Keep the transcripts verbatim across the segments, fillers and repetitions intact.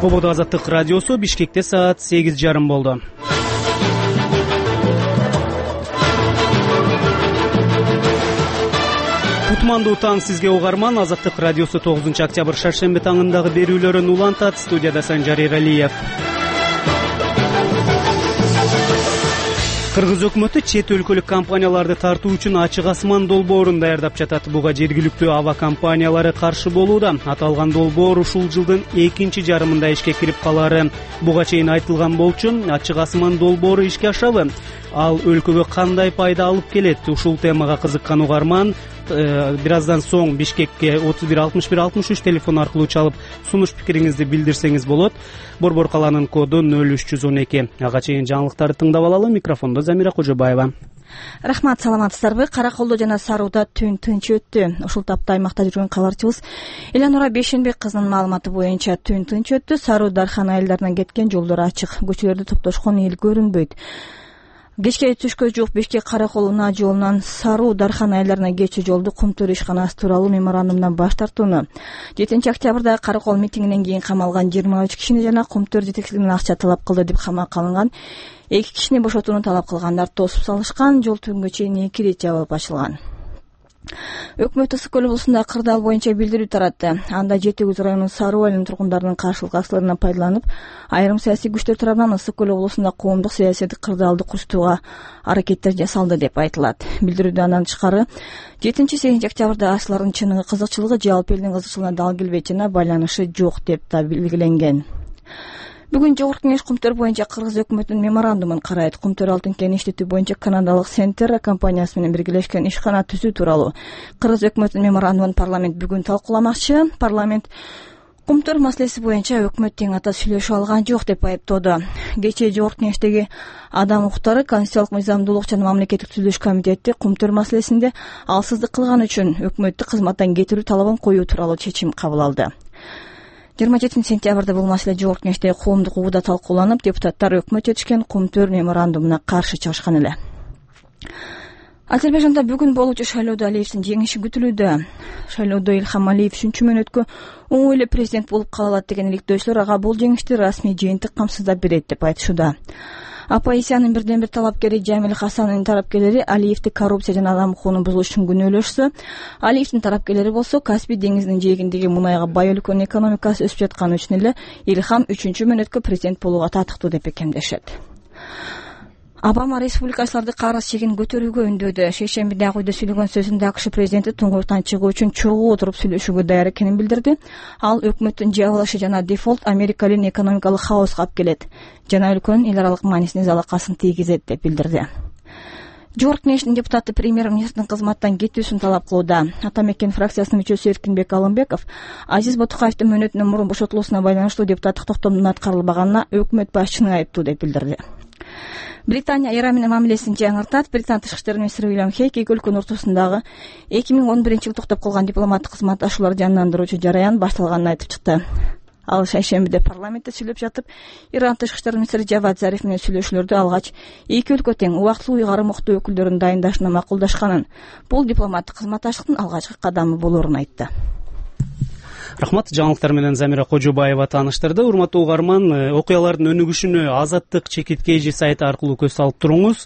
Ободо Азаттык радиосу. Бишкекте саат сегиз жарым болду. Кутмандуу таң сизге угарман. Азаттык радиосу тогузунчу октябрь шаршемби таңындагы берүүлөрүн улантат. Студияда Санжар Эралиев. Кыргыз өкмөтү чет өлкөлүк компанияларды тартуу үчүн ачык асман долбоорун даярдап жатат. Буга жергиликтүү аба компаниялары каршы болууда. Аталган долбоор ушул жылдын экинчи жарымында ишке кирип калары буга чейин айтылган болчу. Ачык асман долбоору ишке ашабы? Ал өлкөгө кандай пайда алып келет? Ушул темага кызыккан угарман бир аздан соң Бишкекке отуз бир алтымыш бир алтымыш үч телефон аркылуу чалып сунуш пикириңизди билдирсеңиз болот. Борбор каланын коду нөл үч жүз он эки. Ага чейин жаңылыктарды тыңдап алалы. Микрофондо Замира Кожобаева. Рахмат, саламатсыздарбы? Караколдо жана Сарууда түн тынч өттү. Ушул тапта аймакта жүргөн кабарчыбыз Элянура Бешенбек кызынын маалыматы боюнча түн тынч өттү. Саруу дархан айылдарынан кеткен жолдор ачык. Көчөлөрдө топтошкон эл көрүнбөйт. Кечке түшкө жук Бишкек Каракол унаа жолунан Саруу дархан айылдарына кетчү жолду Кумтөр ишканасы тууралуу меморандумдан баш тартууну, жетинчи октябрда Каракол митингинен кийин камалган жыйырма үч кишини жана Кумтөр жетекчилигинен акча талап кылды деп камакка алынган эки кишини бошотууну талап кылгандар тосуп салышкан. Жол түнгө чейин эки ирет жабылып ачылган. Өкмөт Ысык көл облусунда кырдаал боюнча билдирүү таратты. Анда жети жүз районунун Саруу айылынын тургундарынын каршылык акцияларынан пайдаланып, айрым саясий күчтөр тарабынан Ысык көл облусунда коомдук саясий кырдаалды курчтууга аракеттер жасалды деп айтылат. Билдирүүдө андан тышкары жетинчи сегизинчи октябрда ачлардын чыныгы кызыкчылыгы жалпы элдин кызыкчылыгына дал келбейт жана байланышы жок деп да белгиленген. Бүгүн Жогорку Кеңеш Кумтөр боюнча Кыргыз өкмөтүнүн меморандумун карайт. Кумтөр алтын кен иштетүү боюнча канадалык Сентерра компаниясы менен биргелешкен ишкана түзүү тууралуу Кыргыз өкмөтүнүн меморандумун парламент бүгүн талкууламакчы. Парламент Кумтөр маселеси боюнча өкмөт тең ата сүйлөшүп алган жок деп айыптоодо. Кечээ Жогорку Кеңештеги адам укуктары, конституциялык мыйзамдуулук жана мамлекеттик түзүлүш комитети Кумтөр маселесинде алсыздык кылган үчүн өкмөттү кызматтан кетирүү талабын коюу тууралуу чечим кабыл алды. жыйырма жетинчи сентябрда бул маселе Жогорку Кеңештеги коомдук угууда талкууланып, депутаттар өкмөт жетишкен Кумтөр меморандумуна каршы чыгышкан эле. Азербайжанда бүгүн болуучу шайлоодо Алиевдин жеңиши күтүлүүдө. Шайлоодо Илхам Алиев үчүнчү мөөнөткө оңой эле президент болуп кала алат деген иликтөөчүлөр ага бул жеңишти расмий жыйынтык камсыздап берет деп айтышууда. Оппозициянын бирден бир талапкери Жамил Хасановдун тарапкерлери Алиевди коррупция жана адам укугун бузуш үчүн күнөөлөшсө, Алиевдин тарапкерлери болсо Каспий деңизинин жээгиндеги мунайга бай өлкөнүн экономикасы өсүп жатканы үчүн эле Илхам үчүнчү мөөнөткө президент болууга татыктуу деп бекемдешет. Обама республикачыларды карыз чегин көтөрүүгө үндөөдө. Шейшембиде Ак үйдө сүйлөгөн сөзүндө АКШ президенти туңгуюктан чыгуу үчүн чогуу отуруп сүйлөшүүгө даяр экенин билдирди. Ал өкмөттүн жабылышы жана дефолт Америка элин экономикалык хаоска алып келет жана өлкөнүн эл аралык маанисине залакасын тийгизет деп билдирди. Жогорку Кеңештин депутаты премьер-министрдин кызматтан кетүүсүн талап кылууда. Ата Мекен фракциясынын мүчөсү Эркинбек Алымбеков Азиз Ботукаевдин мөөнөтүнөн мурун бошотулуусуна байланыштуу депутаттык токтомдун аткарылбаганына өкмөт башчыны айыптуу деп билдирди. Британия Иран менен мамилесин жаңыртат. Британ тышкы иштер министри Уильям Хейк эки өлкөнүн ортосундагы эки миң он биринчи жылы токтоп калган дипломаттык кызматташууларды жандандыруучу жараян башталганын айтып чыкты. Ал шейшембиде парламентте сүйлөп жатып, Иран тышкы иштер министри Жавад Зариф менен сүйлөшүүлөрдү алгач, эки өлкө тең убактылуу уйгарым уктуу өкүлдөрүн дайындашына макулдашканын, бул дипломаттык кызматташтыктын алгачкы кадамы болоорун айтты. Рахмат, жаңылыктар менен Замира Кожобаева тааныштырды. Урматтуу угарман, окуялардын өнүгүшүнө Азаттык чекиткейжи сайты аркылуу көз салып туруңуз.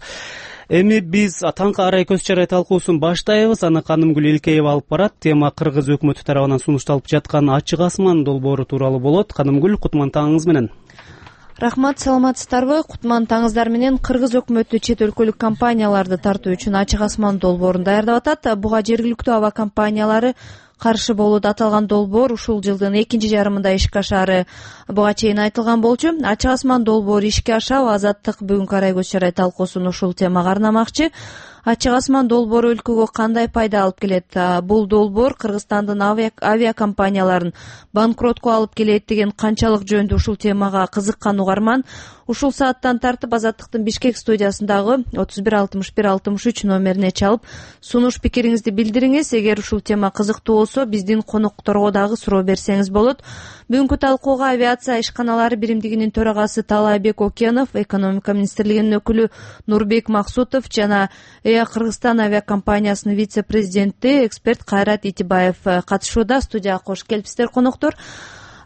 Эми биз таңкы арай көз чарай талкуусун баштайбыз. Аны Канымгүл Элкеева алып барат. Тема Кыргыз өкмөтү тарабынан сунушталып жаткан ачык асман долбоору тууралуу болот. Канымгүл, кутман таңыңыз менен. Рахмат, саламатсыздарбы? Кутман таңыңыздар менен. Кыргыз өкмөтү чет өлкөлүк компанияларды тартуу үчүн ачык асман долбоорун даярдап атат. Буга жергиликтүү аба компаниялары каршы болууда. Аталган долбоор ушул жылдын экинчи жарымында ишке ашаары буга чейин айтылган болчу. Ачык асман долбоору ишке ашабы? Азаттык бүгүнкү арай көз чарай талкуусун ушул темага арнамакчы. Ачык асман долбоору өлкөгө кандай пайда алып келет? Бул долбоор Кыргызстандын авиакомпанияларын банкротко алып келет деген канчалык жөнүндө ушул темага кызыккан угарман ушул сааттан тартып Азаттыктын Бишкек студиясындагы отуз бир алтымыш бир алтымыш үч номерине чалып сунуш пикириңизди билдириңиз. Эгер ушул тема кызыктуу болсо, биздин конокторго дагы суроо берсеңиз болот. Бүгүнкү талкууга авиация ишканалары биримдигинин төрагасы Талайбек Окенов, экономика министрлигинин өкүлү Нурбек Максутов жана Эа Кыргызстан авиакомпаниясынын вице-президенти эксперт Кайрат Итибаев катышууда. Студияга кош келипсиздер, коноктор.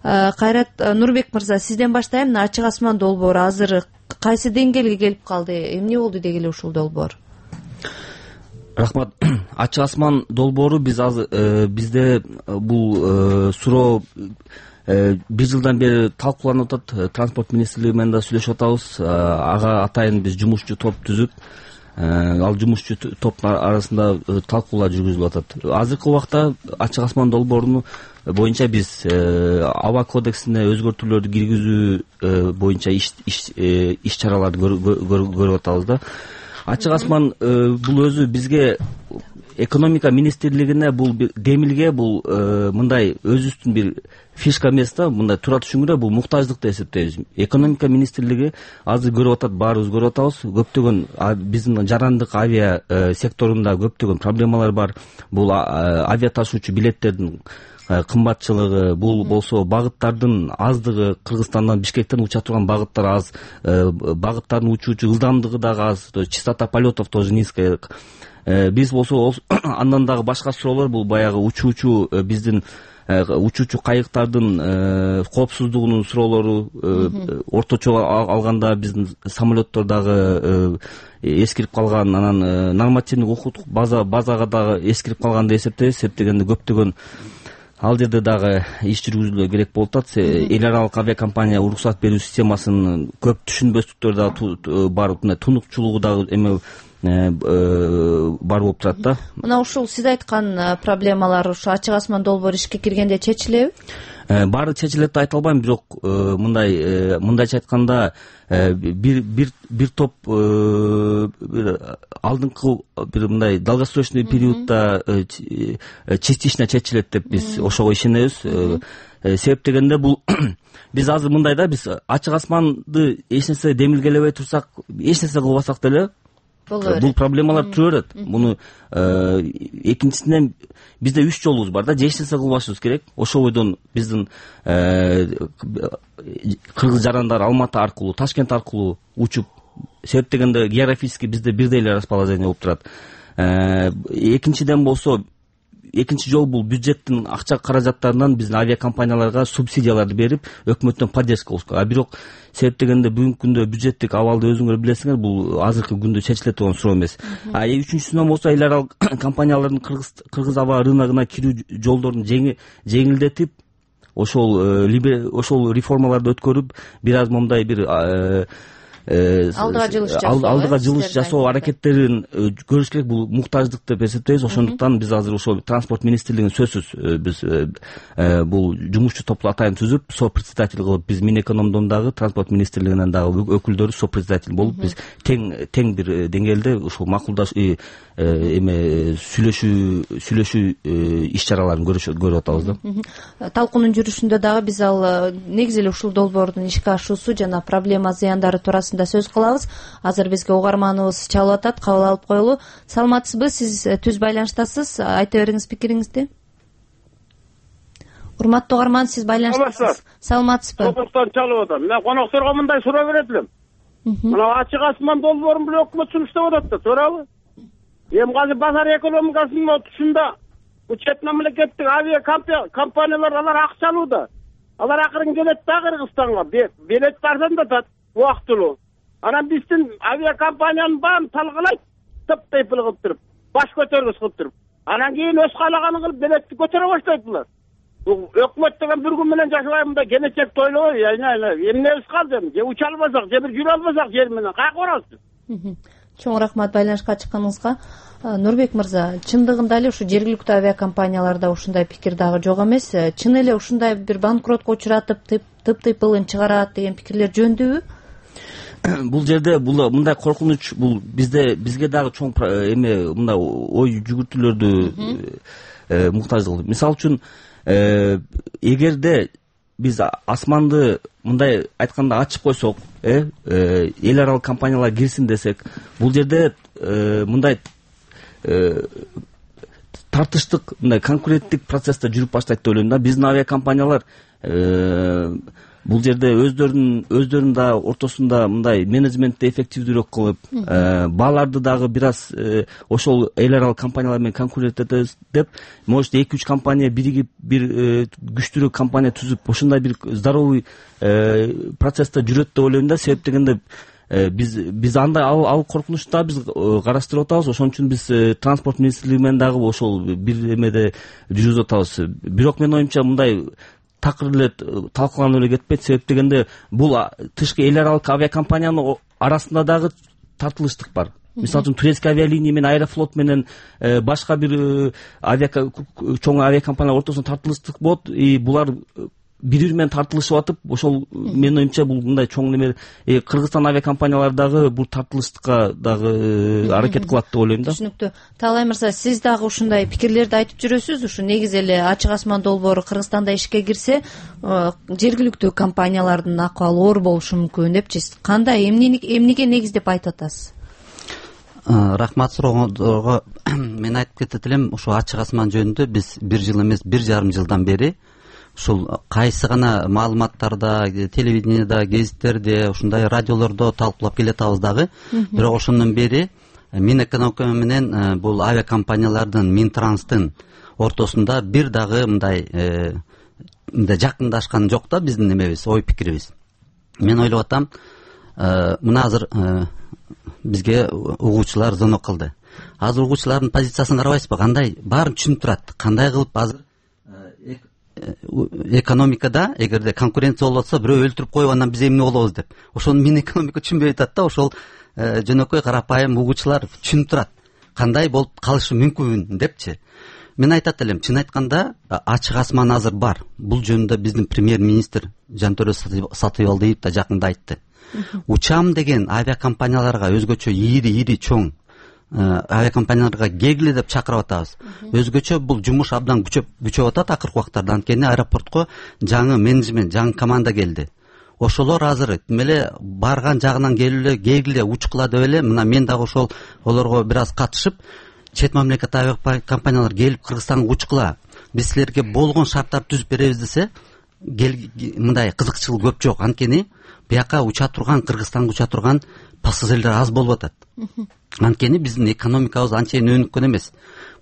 Кайрат Нурбек мырза, сизден баштайм. Мына ачык асман долбоору азыр кайсы деңгээлге келип калды? Эмне болду деги эле ушул долбоор? Рахмат. Ачык асман долбоору биз азыр бизде бул суроо бир жылдан бери талкууланып атат. Транспорт министрлиги менен да сүйлөшүп атабыз. Ага атайын биз жумушчу топ түзүп, ал жумушчу топтун арасында талкуулар жүргүзүлүп атат. Азыркы убакта ачык асман долбоору боюнча биз аба кодексине өзгөртүүлөрдү киргизүү боюнча иш чараларды көрүп атабыз да. Ачык асман бул өзү бизге экономика министрлигине бул демилге бул мындай өзүбүздүн бир фишка эмес да, мындай туура түшүнгүрө бул муктаждык деп эсептейбиз. Экономика министрлиги азыр көрүп атат, баарыбыз көрүп атабыз. Көптөгөн биздин жарандык авиа секторунда көптөгөн проблемалар бар. Бул авиа ташуучу билеттердин кымбатчылыгы, бул болсо багыттардын аздыгы, Кыргызстандан Бишкектен уча турган багыттар аз, багыттардын учуучу ылдамдыгы дагы аз, частота полетов тоже низкая. Биз болсо андан дагы башка суроолор, бул баягы учуучу биздин учуучу кайыктардын коопсуздугунун суроолору, орточо алганда биздин самолеттор дагы эскирип калган, анан нормативдик укуктук базага дагы эскирип калган деп эсептейбиз. Себеп көптөгөн ал жерде дагы иш жүргүзүлө керек болуп атат. Эл аралык авиакомпания уруксат берүү системасынын көп түшүнбөстүктөрү дагы бар, тунукчулугу дагы эме бар болуп турат да. Мына ушул сиз айткан проблемалар ушу ачык асман долбоору ишке киргенде чечилеби? Баары чечилет деп айта албайм, бирок мындай мындайча айтканда бир бир бир топ алдыңкы бир мындай долгосрочный периодда частично чечилет деп биз ошого ишенебиз. Себеп дегенде бул биз азыр мындай да, биз ачык асманды эч нерсе демилгелебей турсак, эч нерсе кылбасак деле бул проблемалар тура берет. Муну экинчисинен бизде үч жолубуз бар да, эч нерсе кылбашыбыз керек. Ошол бойдон биздин кыргыз жарандар Алматы аркылуу, Ташкент аркылуу учуп, себеп дегенде географически бизде бирдей эле расположение болуп турат. Экинчиден болсо, экинчи жол бул бюджеттин акча каражаттарынан биздин авиакомпанияларга субсидияларды берип, өкмөттөн поддержка алышка. А бирок себеп дегенде бүгүнкү күндө бюджеттик абалды өзүңөр билесиңер, бул азыркы күндө чечиле турган суроо эмес. А үчүнчүсүнөн болсо, эл аралык компаниялардын кыргыз кыргыз аба рыногуна кирүү жолдорун жеңилдетип, ошол ошол реформаларды өткөрүп, бир аз момундай бир алдыга жылыш жасоо алдыга жылыш жасоо аракеттерин көрүш керек. Бул муктаждык деп эсептейбиз. Ошондуктан биз азыр ошол транспорт министрлигин сөзсүз биз бул жумушчу топту атайын түзүп, сопредседатель кылып, биз Минэкономдон дагы, транспорт министрлигинен дагы өкүлдөрү сопредседатель болуп, биз тең тең бир деңгээлде ушул макулдаш эме сүйлөшүү сүйлөшүү иш чараларын көрүп атабыз да. Талкуунун жүрүшүндө дагы биз ал негизи эле ушул долбоордун ишке ашуусу жана проблема зыяндары туурасында сөз кылабыз. Азыр бизге угарманыбыз чалып атат, кабыл алып коелу. Саламатсызбы? Сиз түз байланыштасыз. Айта бериңиз пикириңизди. Урматтуу угарман, сиз байланыштасыз. Саламатсызбы? Токтон чалып атам. Мен конокторго мындай суроо берет элем. Мына ачык асман долбоорун бул өкмөт сунуштап атат да, туурабы? Эми азыр базар экономикасынын тушунда бул чет мамлекеттик авиа компаниялар алар акча алууда. Алар акырын келет да Кыргызстанга. Билет арзан да атат убактылуу. Анан биздин авиакомпаниянын баарын талкалайт, топ-тейпил кылып туруп, баш көтөргүс кылып туруп. Анан кийин өз каалаганын кылып билетти көтөрө баштайт булар. Бул өкмөт деген бир күн менен жашабайм да, келечекти ойлобой, эмнебиз калды, же уча албасак, же бир жүрө албасак жер менен каяка барабыз? Чоң рахмат байланышка чыкканыңызга. Нурбек мырза, чындыгында эле ушу жергиликтүү авиакомпанияларда ушундай пикир дагы жок эмес. Чын эле ушундай бир банкротко учуратып, тып-тыйпылын чыгарат деген пикирлер жөндүүбү? Бул жерде бул мындай коркунуч, бул бизде бизге дагы чоң эме мындай ой жүгүртүүлөрдү муктаждык. Мисалы үчүн, эгерде биз асманды мындай айтканда ачып койсок, эл аралык компаниялар кирсин десек, бул жерде мындай тартыштык, мындай конкуренттик процессте жүрүп баштайт деп ойлойм да. Биздин авиакомпаниялар бул жерде өздөрүнүн өздөрүнүн да ортосунда мындай менеджментти эффективдүүрөөк кылып, бааларды дагы бир аз ошол эл аралык компаниялар менен конкурент этебиз деп, может эки үч компания биригип бир күчтүүрөөк компания түзүп, ошондой бир здоровый процессте жүрөт деп ойлойм да. Себеп дегенде биз биз андай ал коркунучту да биз караштырып атабыз. Ошон үчүн биз транспорт министрлиги менен дагы ошол бир эмеде жүргүзүп атабыз. Бирок менин оюмча мындай такыр эле талкууланып эле кетпейт. Себеп дегенде бул тышкы эл аралык авиакомпаниянын арасында дагы тартылыштык бар. Мисалы үчүн турецкий авиалиния менен Аэрофлот менен башка бир авиа чоң авиакомпаниялар ортосунда тартылыштык болот. И булар бири бири менен тартылышып атып, ошол менин оюмча бул мындай чоң неме Кыргызстан авиакомпаниялары дагы бул тартылыштыкка дагы аракет кылат деп ойлойм да. Түшүнүктүү. Таалай мырза, сиз дагы ушундай пикирлерди айтып жүрөсүз. Ушу негизи эле ачык асман долбоору Кыргызстанда ишке кирсе, жергиликтүү компаниялардын акыбалы оор болушу мүмкүн депчи. Кандай, эмнеге негиздеп айтып атасыз? Рахмат сурооңузго мен айтып кетет элем. Ушу ачык асман жөнүндө биз бир жыл эмес, бир жарым жылдан бери ушул кайсы гана маалыматтарда, телевидениеда, гезиттерде, ушундай радиолордо талкуулап келатабыз дагы. Бирок ошондон бери Минэкономика менен бул авиакомпаниялардын, Минтранстын ортосунда бир дагы мындай мындай жакындашкан жок да биздин эмебиз, ой пикирибиз. Мен ойлоп атам, мына азыр бизге угуучулар звонок кылды. Азыр угуучулардын позициясын карабайсызбы? Кандай баарын түшүнүп турат. Кандай кылып азыр экономикада эгерде конкуренция болуп атса, бирөө өлтүрүп коюп анан биз эмне болобуз деп. Ошону мен экономика түшүнбөй атат да. Ошол жөнөкөй карапайым угуучулар түшүнүп турат. Кандай болуп калышы мүмкүн депчи. Мен айтат элем, чын айтканда ачык асман азыр бар. Бул жөнүндө биздин премьер-министр Жантөрө Сатыбалдиев да жакында айтты. Учам деген авиакомпанияларга, өзгөчө ири-ири чоң авиакомпанияларга келгиле деп чакырып атабыз. Өзгөчө бул жумуш абдан күчөп күчөп атат акыркы убактарда. Анткени аэропортко жаңы менеджмент, жаңы команда келди. Ошолор азыр эмеле барган жагынан келгиле, келгиле учкула деп эле, мына мен дагы ошол олорго бир аз катышып, чет мамлекет авиакомпаниялар келип Кыргызстанга учкула, биз силерге болгон шарттарды түзүп беребиз десе, мындай кызыкчылык көп жок. Анткени бияка уча турган, Кыргызстанга уча турган пассажирлер аз болуп атат. Анткени биздин экономикабыз анчейин өнүккөн эмес.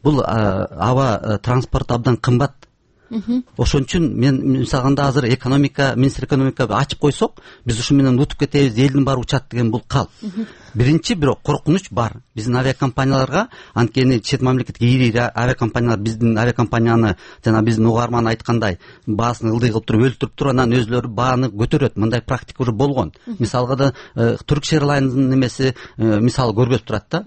Бул аба транспорт абдан кымбат. Ошон үчүн мен мисалганда азыр экономика, министр экономика ачып койсок, биз ушу менен утуп кетебиз, элдин баары учат деген бул кал. Биринчи бирок коркунуч бар биздин авиакомпанияларга. Анткени чет мамлекетке ири авиакомпаниялар биздин авиакомпанияны жана биздин угарман айткандай баасын ылдый кылып туруп өлтүрүп туруп анан өзлөрү бааны көтөрөт. Мындай практика уже болгон. Мисалга да Turkish Airlines'дын немеси мисал көргөзүп турат да.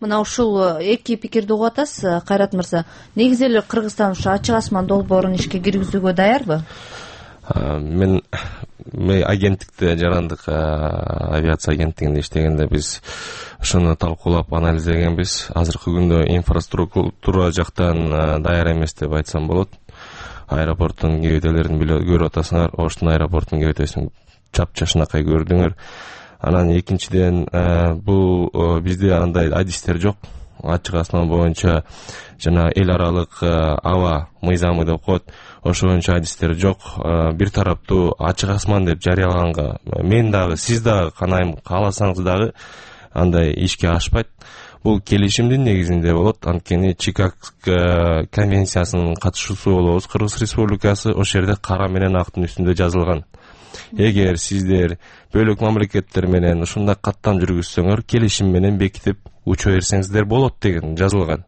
Мына ушул эки пикирди угуп атасыз, Кайрат мырза. Негизи эле Кыргызстан ушу ачык асман долбоорун ишке киргизүүгө даярбы? Мен мен агенттикте, жарандык авиация агенттигинде иштегенде биз ошону талкуулап анализдегенбиз. Азыркы күндө инфраструктура жактан даяр эмес деп айтсам болот. Аэропорттун кебетелерин көрүп атасыңар. Оштун аэропортунун кебетесин чап-чашынакай көрдүңөр. Анан экинчиден бул бизде андай адистер жок. Ачык асман боюнча жана эл аралык аба мыйзамы деп коет. Ошо боюнча адистер жок. Бир тараптуу ачык асман деп жарыялаганга мен дагы, сиз дагы канайым кааласаңыз дагы андай ишке ашпайт. Бул келишимдин негизинде болот. Анткени Чикаго конвенциясынын катышуусу болобуз. Кыргыз Республикасы ошол жерде кара менен актын үстүндө жазылган. Эгер сиздер бөлөк мамлекеттер менен ушундай каттам жүргүзсөңөр, келишим менен бекитип уча берсеңиздер болот деген жазылган.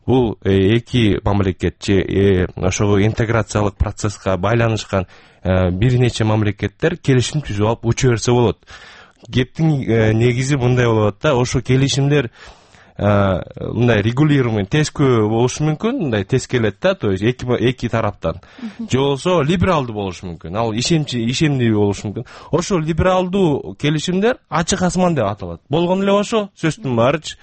Бул эки мамлекет же ошого интеграциялык процесске байланышкан бир нече мамлекеттер келишим түзүп алып уча берсе болот. Кептин негизи мындай болот да, ошо келишимдер мындай регулируемый тескөө болушу мүмкүн, мындай тез келет да, то есть эки эки тараптан. Же болсо либералдуу болушу мүмкүн. Ал ишемчи, ишемдүү болушу мүмкүн. Ошол либералдуу келишимдер ачык асман деп аталат. Болгон эле ошо сөздүн баарычы.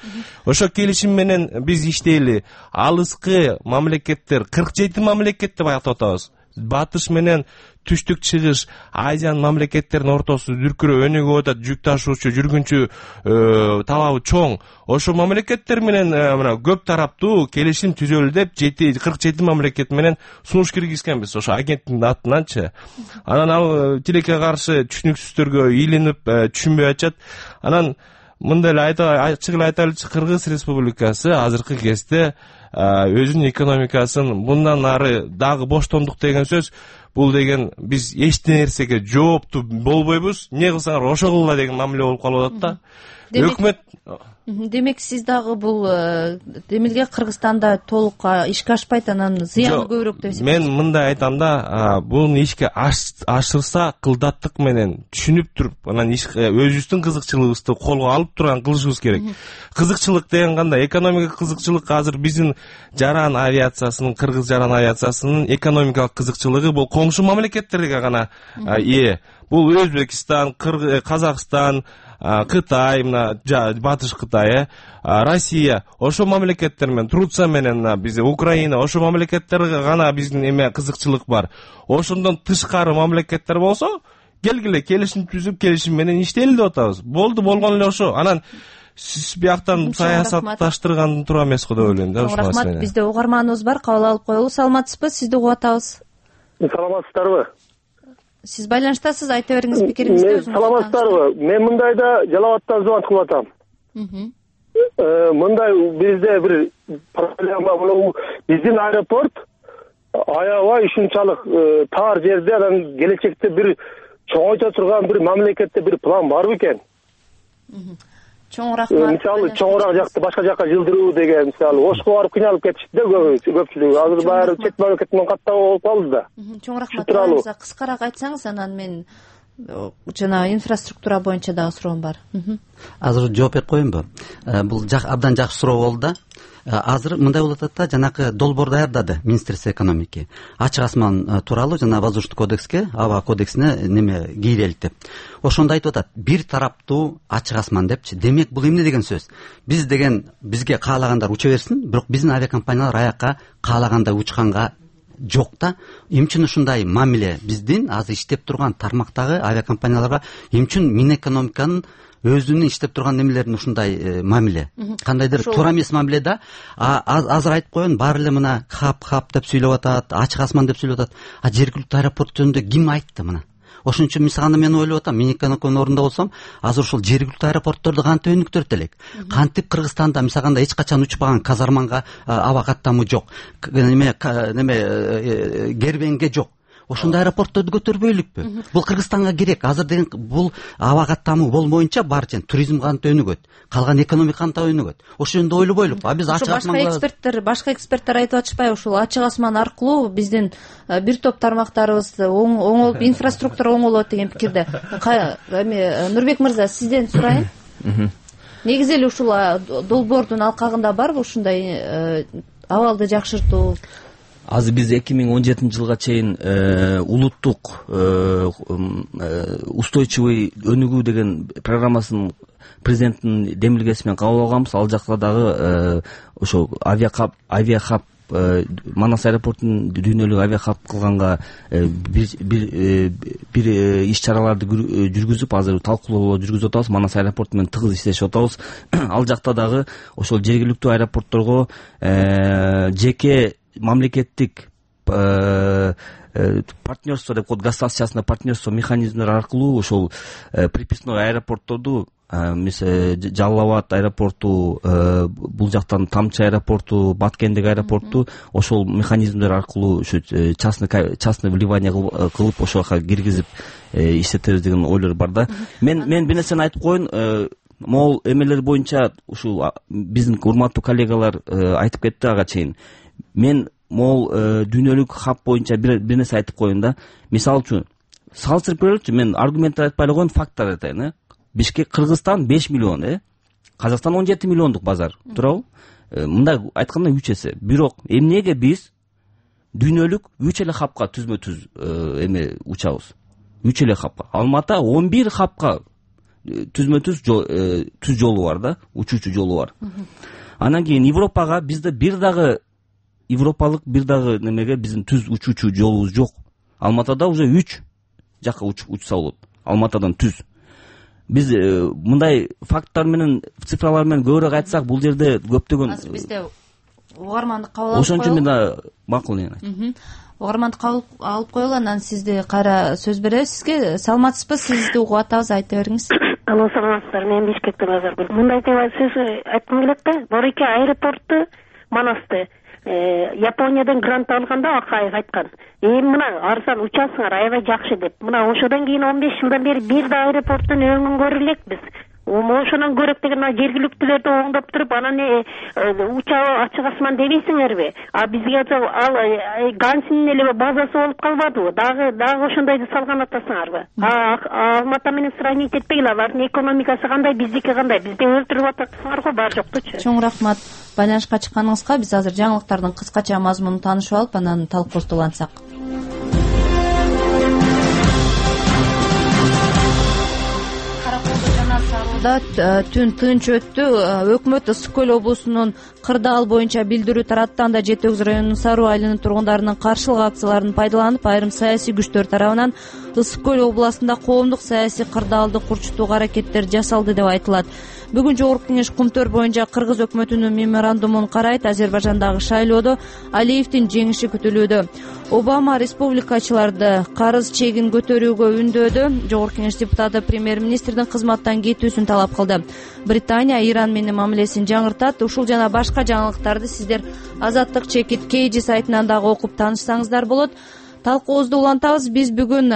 Ошо келишим менен биз иштейли. Алыскы мамлекеттер кырк жети мамлекет деп айтып атабыз. Батыш менен түштүк чыгыш Азиянын мамлекеттеринин ортосу дүркүрөп өнүгүп атат, жүк ташуучу жүргүнчү талабы чоң. Ошол мамлекеттер менен мына көп тараптуу келишим түзөлү деп кырк жети мамлекет менен сунуш киргизгенбиз ошо агенттиктин атынанчы. Анан ал тилекке каршы түшүнүксүздөргө илинип түшүнбөй атышат. Анан мындай эле ачык эле айтайлычы, Кыргыз Республикасы азыркы кезде өзүнүн экономикасын мындан ары дагы боштондук деген сөз, бул деген биз эч нерсеге жооптуу болбойбуз, эмне кылсаңар ошо кылгыла деген мамиле болуп калып атат да. Өкмөт Демек сиз дагы бул демилге Кыргызстанда толук ишке ашпайт, анан зыяны көбүрөөк деп эсептейсиз? Мен мындай айтам да, буну ишке ашырса кылдаттык менен түшүнүп туруп, анан өзүбүздүн кызыкчылыгыбызды колго алып турган кылышыбыз керек. Кызыкчылык деген кандай? Экономикалык кызыкчылык азыр биздин жаран авиациясынын, Кыргыз жаран авиациясынын экономикалык кызыкчылыгы бул коңшу мамлекеттерге гана ээ. Бул Өзбекстан, Казакстан, Кытай, мына Батыш Кытай, Россия, ошо мамлекеттер менен, Турция менен биз Украина, ошо мамлекеттерге гана биздин эме кызыкчылык бар. Ошондон тышкары мамлекеттер болсо, келгиле келишим түзүп, келишим менен иштейли деп атабыз. Болду, болгон эле ошо. Анан сиз бияктан саясатташтырган туура эмес го деп ойлойм да. Рахмат. Бизде угарманыбыз бар, кабыл алып коелу. Саламатсызбы? Сизди угуп атабыз. Саламатсыздарбы? Сиз байланыштасыз, айта бериңиз пикириңизди. Мен саламатсыздарбы? Мен мындайда Жалал Абадтан звонок кылып атам. Мындай бизде бир проблема, биздин аэропорт аябай ушунчалык тар жерде, анан келечекте бир чоңойто турган бир мамлекетте бир план барбы экен? Чоңураак мисалы чоңураак жакты башка жакка жылдыруу деген, мисалы Ошко барып кыйналып кетишти да көпчүлүгү. Азыр баары чет мамлекет менен каттап болуп калды да. Чоңураак материалыңызга кыскараак айтсаңыз, анан мен жана инфраструктура боюнча дагы суроом бар. Азыр жооп берип коеюнбу? Бул абдан жакшы суроо болду да. Азыр мындай болуп атат да, жанакы долбоор даярдады Министерство экономики. Ачык асман тууралуу жана воздушный кодекске, аба кодексине неме кийрелик деп. Ошондо айтып атат, бир тараптуу ачык асман депчи. Демек бул эмне деген сөз? Биз деген бизге каалагандар уча берсин, бирок биздин авиакомпаниялар аякка каалагандай учканга жок да. Эмне үчүн ушундай мамиле биздин азыр иштеп турган тармактагы авиакомпанияларга, эмне үчүн Минэкономиканын өзүнүн иштеп турган немелерин ушундай мамиле? Кандайдыр туура эмес мамиле да. Азыр айтып коеюн, баары эле мына хап хап деп сүйлөп атат, ачык асман деп сүйлөп атат. А жергиликтүү аэропорт жөнүндө ким айтты мына? Ошон үчүн мисалы мен ойлоп атам, мен экономиканын ордунда болсом, азыр ушул жергиликтүү аэропортторду кантип өнүктүрөт элек? Кантип Кыргызстанда мисалганда эч качан учпаган казарманга аба каттамы жок, неме неме кербенге жок. Ошондой аэропортторду көтөрбөйлүкпү? Бул Кыргызстанга керек. Азыр деген бул аба каттамы болмоюнча барча туризм кантип өнүгөт, калган экономика кантип өнүгөт? Ошол жөнүндө ойлобойлукпу? А биз ачык асман башка эксперттер, башка эксперттер айтып атышпайбы? Ушул ачык асман аркылуу биздин бир топ тармактарыбыз оңолуп, инфраструктура оңолот деген пикирде. Эми Нурбек мырза, сизден сурайын. Негизи эле ушул долбоордун алкагында барбы ушундай абалды жакшыртуу? Азыр биз эки миң он жетинчи жылга чейин улуттук устойчивый өнүгүү деген программасын президенттин демилгеси менен кабыл алганбыз. Ал жакта дагы ошо авиахаб авиахаб Манас аэропортун дүйнөлүк авиахаб кылганга бир бир бир иш чараларды жүргүзүп, азыр талкуулоо жүргүзүп атабыз. Манас аэропорту менен тыгыз иштешип атабыз. Ал жакта дагы ошол жергиликтүү аэропортторго жеке мамлекеттик партнерство деп коет, государственный партнерство механизмдер аркылуу ошол приписной аэропортторду, мисалы Жалал Абад аэропорту, бул жактан Тамчы аэропорту, Баткендик аэропорту ошол механизмдер аркылуу ушу частный частный вливание кылып ошол жака киргизип иштетебиз деген ойлор бар да. Мен мен бир нерсени айтып коеюн. Могул эмелер боюнча ушул биздин урматтуу коллегалар айтып кетти ага чейин. Мен могул дүйнөлүк хаб боюнча бир нерсе айтып коеюн да. Мисалы үчүн салыштырып көрөлүчү, мен аргументтер айтпай эле коеюн, факттар айтайын. э Бишкек, Кыргызстан беш миллион, э Казакстан он жети миллиондук базар, туурабы? Мындай айтканда үч эсе. Бирок эмнеге биз дүйнөлүк үч эле хабка түзмө түз эме учабыз? үч эле хабка. Алматыда он бир хабка түзмө түз түз жолу бар да, учуучу жолу бар. Анан кийин Европага бизде бир дагы европалык бир дагы немеге биздин түз учуучу жолубуз жок. Алматада уже үч жакка учса болот, Алматадан түз. Биз мындай факттар менен, цифралар менен көбүрөөк айтсак, бул жерде көптөгөн азыр бизде угармандык кабыл алып ошон үчүн мен макул экен. Угармандык кабыл алып коелу, анан сизди кайра сөз беребиз. Сизге саламатсызбы? Сизди угуп атабыз, айта бериңиз. Алло, саламатсыздарбы? Мен Бишкектен Назаргүл. Мындай сөз айткым келет да. Борийки аэропорту Манасты Япониядан грант алганда Акаев айткан. Эми мына арзан учасыңар, аябай жакшы деп. Мына ошодон кийин он беш жылдан бери бир да аэропорттун өңүн көрө элекпиз. Ошонон көрөк деген жергиликтүүлөрдү оңдоп туруп, анан учагы ачык асман дебейсиңерби? А бизге ал Гансинин эле базасы болуп калбадыбы? Дагы дагы ошондойду салган атасыңарбы? Алматы менен сравнить этпегиле, алардын экономикасы кандай, биздики кандай? Бизди өлтүрүп атасыңар го, бар жоктучу. Чоң рахмат байланышка чыкканыңызга. Биз азыр жаңылыктардын кыскача мазмунун таанышып алып, анан талкуубузду улантсак. Түн тынч өттү. Өкмөт Ысык көл облусунун Кырдаал боюнча билдирүү таратты. Анда Жети Өгүз районунун Саруу айылынын тургундарынын каршылык акцияларын пайдаланып, айрым саясий күчтөр тарабынан Ысык көл областында коомдук саясий кырдаалды курчутууга аракеттер жасалды деп айтылат. Бүгүн Жогорку Кеңеш Кумтөр боюнча Кыргыз өкмөтүнүн меморандумун карайт. Азербайжандагы шайлоодо Алиевдин жеңиши күтүлүүдө. Обама республикачыларды карыз чегин көтөрүүгө үндөдү. Жогорку Кеңеш депутаты премьер-министрдин кызматтан кетүүсүн талап кылды. Британия Иран менен мамилесин жаңыртат. Ушул жана башка жаңылыктарды сиздер Азаттык чекит Кейджи сайтынан дагы окуп таанышсаңыздар болот. Талкуубузду улантабыз. Биз бүгүн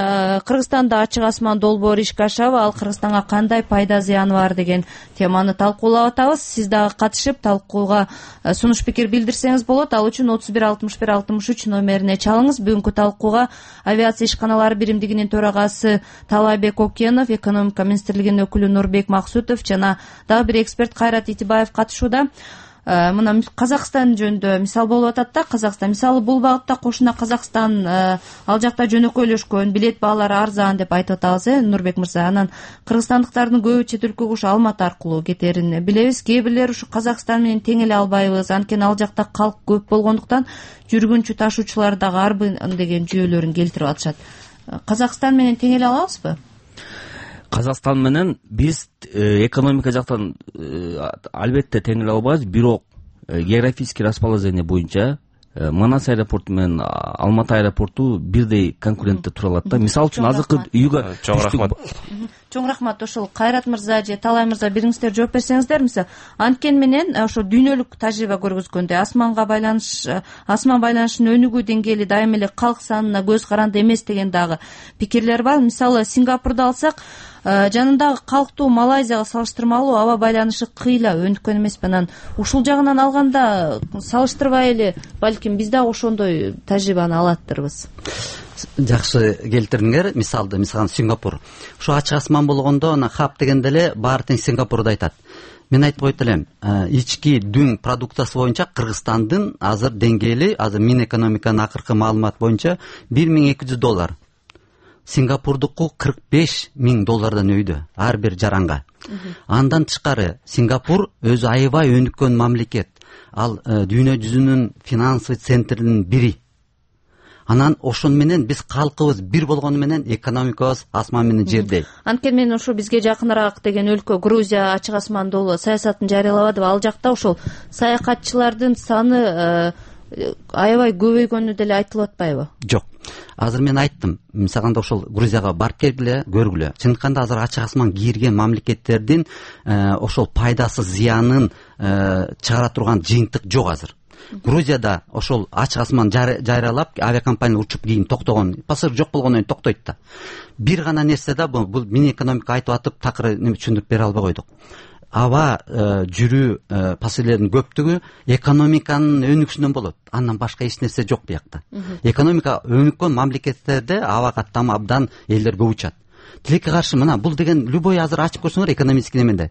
Кыргызстанда ачык асман долбоору ишке ашабы, ал Кыргызстанга кандай пайда зыяны бар деген теманы талкуулап атабыз. Сиз дагы катышып талкууга сунуш пикир билдирсеңиз болот. Ал үчүн отуз бир алтымыш бир алтымыш үч номерине чалыңыз. Бүгүнкү талкууга авиация ишканалары биримдигинин төрагасы Талайбек Окенов, экономика министрлигинин өкүлү Нурбек Максутов жана дагы бир эксперт Кайрат Итибаев катышууда. Мына Казакстан жөнүндө мисал болуп атат да. Казакстан мисалы бул багытта кошуна Казакстан ал жакта жөнөкөйлөшкөн, билет баалары арзан деп айтып атабыз, э Нурбек мырза. Анан кыргызстандыктардын көбү чет өлкөгө ушу Алматы аркылуу кетерин билебиз. Кээ бирлер ушу Казакстан менен тең эле албайбыз, анткени ал жакта калк көп болгондуктан жүргүнчү ташуучулар дагы арбын деген жүйөлөрүн келтирип атышат. Казакстан менен тең эле алабызбы? Казакстан менен биз экономика жактан албетте тең эле албайбыз, бирок географический расположение боюнча Манас аэропорту менен Алматы аэропорту бирдей конкурентте тура алат да. Мисалы үчүн азыркы үйгө чоң рахмат. Чоң рахмат. Ошол Кайрат мырза же Талай мырза бириңиздер жооп берсеңиздер. Мисалы анткени менен ошо дүйнөлүк тажрыйба көргөзгөндөй асманга байланыш, асман байланышынын өнүгүү деңгээли дайыма эле калк санына көз каранды эмес деген дагы пикирлер бар. Мисалы Сингапурду алсак, жанындагы калктуу Малайзияга салыштырмалуу аба байланышы кыйла өнүккөн эмеспи. Анан ушул жагынан алганда салыштырбай эле балким биз дагы ошондой тажрыйбаны алаттырбыз. Жакшы келтирдиңер мисалды. Мисалы Сингапур. Ушу ачык асман болгондо ана хаб дегенде эле баары тең Сингапурду айтат. Мен айтып койт элем, ички дүң продукциясы боюнча Кыргызстандын азыр деңгээли, азыр Минэкономиканын акыркы маалымат боюнча бир миң эки жүз доллар. Сингапурдуку кырк беш миң доллардан өйдө ар бир жаранга. Андан тышкары Сингапур өзү аябай өнүккөн мамлекет. Ал дүйнө жүзүнүн финансовый центринин бири. Анан ошон менен биз калкыбыз бир болгону менен экономикабыз асман менен жердей. Анткени мен ошо бизге жакыныраак деген өлкө Грузия ачык асман долбоор саясатын жарыялабадыбы? Ал жакта ошол саякатчылардын саны аябай көбөйгөнү деле айтылып атпайбы? Жок. Азыр мен айттым, мисалында ошол Грузияга барып келгиле, көргүлө. Чындыканда азыр ачык асман кийирген мамлекеттердин ошол пайдасы зыянын чыгара турган жыйынтык жок азыр. Грузияда ошол ачык асман жайралап авиакомпания учуп кийин токтогон, пассажир жок болгондон кийин токтойт да. Бир гана нерсе да бул Минэкономика айтып атып такыр түшүндүрүп бере албай койдук. Аба жүрүү пассажирлердин көптүгү экономиканын өнүгүшүнөн болот. Андан башка эч нерсе жок буякта. Экономика өнүккөн мамлекеттерде абага там абдан элдер көп учат. Тилекке каршы мына бул деген любой азыр ачып көрсөңөр экономический неменде.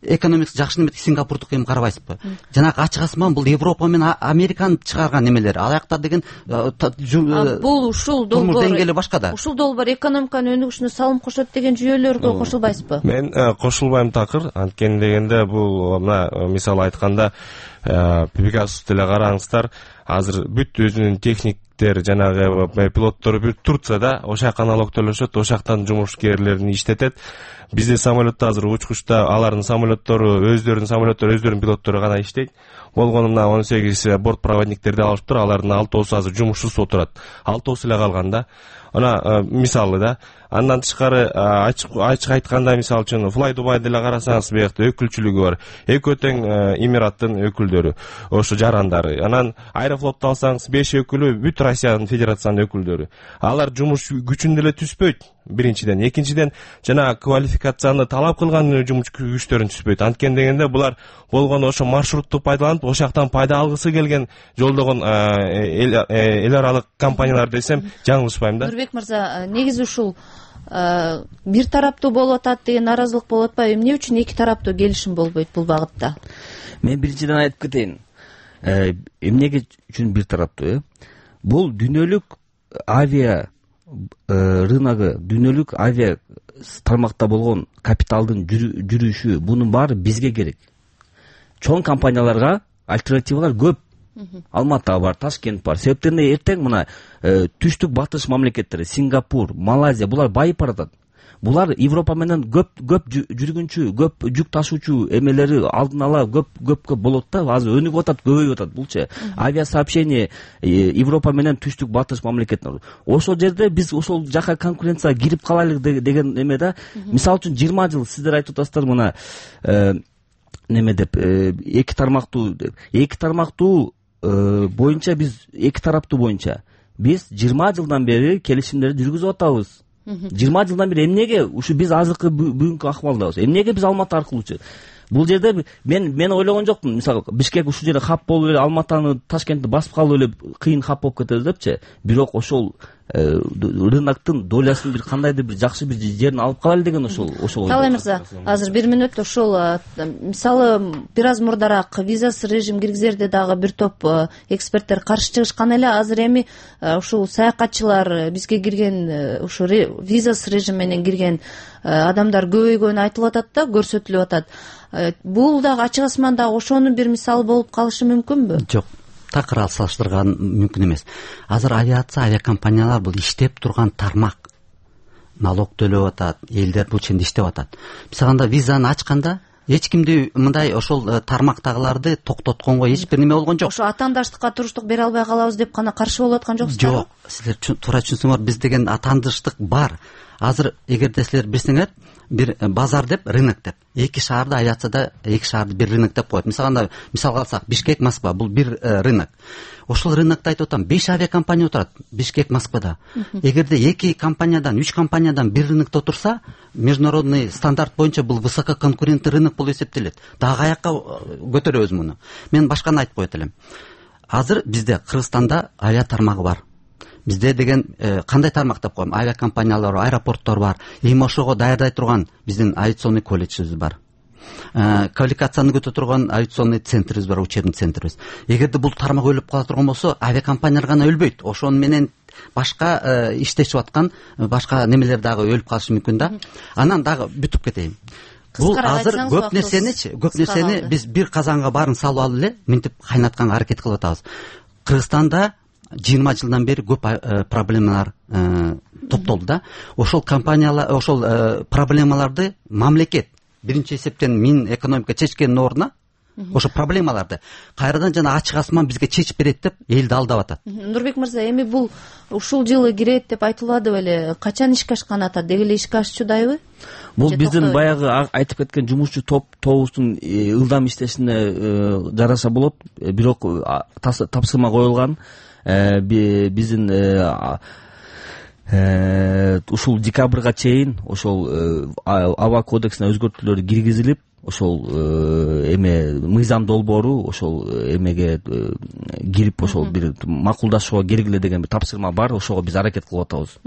Экономикасы жакшы неме Сингапурдук эми карабайсызбы? Жанагы ачык асман бул Европа менен Американы чыгарган немелер. Ал жакта деген бул ушул долбоор деңгээли башка да. Ушул долбоор экономиканын өнүгүшүнө салым кошот деген жүйөлөргө кошулбайсызбы? Мен кошулбайм такыр. Анткени дегенде бул мына мисалы айтканда Пегасус деле караңыздар, азыр бүт өзүнүн техниктер жанагы пилоттор бүт Турцияда ошол жака налогтолошот, ошол жактан жумушкерлерин иштетет. Бизде самолетто азыр учкучта алардын самолеттору, өздөрүнүн самолеттору, өздөрүнүн пилоттору гана иштейт. Болгону мына он сегиз борт проводниктерди алышыптыр, алардын алтоосу азыр жумушсуз отурат. Алтоосу эле калган да. Ана мисалы да, андан тышкары ачык ачык айтканда, мисалы үчүн Fly Dubai деле карасаңыз, биякта өкүлчүлүгү бар. Экөө тең Эмираттын өкүлдөрү, ошо жарандары. Анан Аэрофлотто алсаңыз, беш өкүлү бүт Россиянын федерациянын өкүлдөрү. Алар жумуш күчүн деле түспөйт. Биринчиден, экинчиден жана квалификацияны талап кылган жумуш күчтөрүн түспөйт. Анткени дегенде булар болгону ошо маршрутту пайдаланып, ошол жактан пайда алгысы келген жолдогон эл аралык компаниялар десем жаңылышпайм да. Нурбек мырза, негизи ушул бир тараптуу болуп атат деген наразылык болуп атпайбы? Эмне үчүн эки тараптуу келишим болбойт бул багытта? Мен биринчиден айтып кетейин. Эмнеге үчүн бир тараптуу, э? Бул дүйнөлүк авиа рыногу, дүйнөлүк авиа тармакта болгон капиталдын жүрүшү, бунун баары бизге керек. Чоң компанияларга альтернативалар көп. Алмата бар, Ташкент бар. Себептен эртең мына түштүк батыш мамлекеттери, Сингапур, Малайзия, булар байып баратат. Булар Европа менен көп көп жүргүнчү, көп жүк ташуучу эмелери алдын ала көп көп көп болот да. Азыр өнүгүп атат, көбөйүп атат булчу. Авиа сообщение Европа менен түштүк батыш мамлекеттер. Ошол жерде биз ошол жака конкуренцияга кирип калайлык деген эме да. Мисалы үчүн жыйырма жыл сиздер айтып атасыздар мына неме деп, эки тармактуу эки тармактуу боюнча биз эки тараптуу боюнча биз жыйырма жылдан бери келишимдерди жүргүзүп атабыз. жыйырма жылдан бери эмнеге ушу биз азыркы бүгүнкү акыбалдабыз? Эмнеге биз Алматы аркылуучу? Бул жерде мен мен ойлогон жокмун. Мисалы, Бишкек ушул жерде хап болуп эле Алматаны, Ташкентти басып калып эле кыйын хап болуп кетебиз депчи. Бирок ошол рыноктун долясын бир кандайдыр бир жакшы бир жерин алып калайлы деген ошол ошол. Талай мырза, азыр бир мүнөт ошол мисалы бир аз мурдараак визасыз режим киргизерде дагы бир топ эксперттер каршы чыгышкан эле. Азыр эми ушул саякатчылар бизге кирген, ушу визасыз режим менен кирген адамдар көбөйгөнү айтылып атат да, көрсөтүлүп атат. Бул дагы ачык асманда ошонун бир мисалы болуп калышы мүмкүнбү? Жок, такыр салыштырган мүмкүн эмес. Азыр авиация, авиакомпаниялар бул иштеп турган тармак. Налог төлөп атат, элдер бул ченде иштеп атат. Биз анда визаны ачканда эч кимди мындай ошол тармактагыларды токтотконго эч бир неме болгон жок. Ошо атаандаштыкка туруштук бере албай калабыз деп гана каршы болуп аткан жоксуздар? Жок, силер туура түшүнсөңөр, биз деген атаандаштык бар. Азыр эгерде силер билсеңер, бир базар деп, рынок деп, эки шаарда авиацияда эки шаарды бир рынок деп коет. Мисалы, мисалга алсак, Бишкек, Москва бул бир рынок. Ошол рынокто айтып атам, беш авиакомпания отурат Бишкек, Москвада. Эгерде эки компаниядан, үч компаниядан бир рынокто отурса, международный стандарт боюнча бул высококонкурентный рынок болуп эсептелет. Дагы каякка көтөрөбүз муну. Мен башканы айтып коет элем. Азыр бизде Кыргызстанда авиа тармагы бар. Бизде деген кандай тармак деп коем? Авиакомпаниялар, аэропорттор бар. Эми ошого даярдай турган биздин авиационный колледжибиз бар. Квалификацияны көтөрө турган авиационный центрибиз бар, учебный центрибиз. Эгерде бул тармак өлүп кала турган болсо, авиакомпаниялар гана өлбөйт. Ошону менен башка иштешип аткан башка немелер дагы өлүп калышы мүмкүн да. Анан дагы бүтүп кетейин. Бул азыр көп нерсеничи, көп нерсени биз бир казанга баарын салып алып эле минтип кайнатканга аракет кылып атабыз. Кыргызстанда жыйырма жылдан бери көп проблемалар топтолду да. Ошол компаниялар, ошол проблемаларды мамлекет биринчи эсептен Минэкономика чечкендин ордуна ошо проблемаларды кайрадан жана ачык асман бизге чечип берет деп элди алдап атат. Нурбек мырза, эми бул ушул жылы кирет деп айтылады беле? Качан ишке ашканын атат? Деги эле ишке ашчудайбы? Бул биздин баягы айтып кеткен жумушчу топ тобубуздун ылдам иштешине жараша болот. Бирок тапсырма коюлган. Биздин ушул декабрга чейин ошол аба кодексине өзгөртүүлөр киргизилип, ошол эме мыйзам долбоору ошол эмеге кирип ошол бир макулдашууга керек эле деген бир тапсырма бар. Ошого биз аракет кылып атабыз.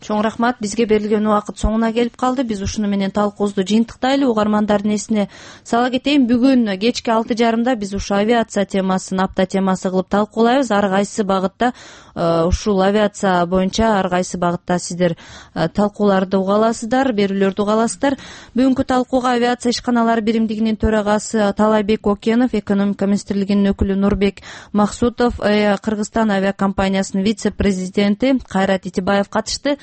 Чоң рахмат. Бизге берилген убакыт соңуна келип калды. Биз ушуну менен талкуубузду жыйынтыктайлы. Угармандардын эсине сала кетейин, бүгүн кечки алты жарымда биз ушу авиация темасын апта темасы кылып талкуулайбыз. Ар кайсы багытта ушул авиация боюнча ар кайсы багытта сиздер талкууларды уга аласыздар, берүүлөрдү уга аласыздар. Бүгүнкү талкууга авиация ишканалары биримдигинин төрагасы Талайбек Окенов, экономика министрлигинин өкүлү Нурбек Максутов, Кыргызстан авиакомпаниясынын вице-президенти Кайрат Итибаев катышты.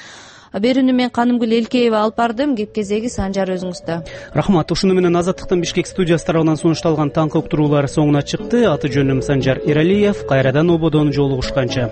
Берүүнү мен Канымгүл Элкеева алып бардым. Кеп кезеги Санжар өзүңүздө. Рахмат. Ушуну менен Азаттыктын Бишкек студиясы тарабынан сунушталган таңкы уктуруулар соңуна чыкты. Аты жөнүм Санжар Эралиев. Кайрадан ободон жолугушканча.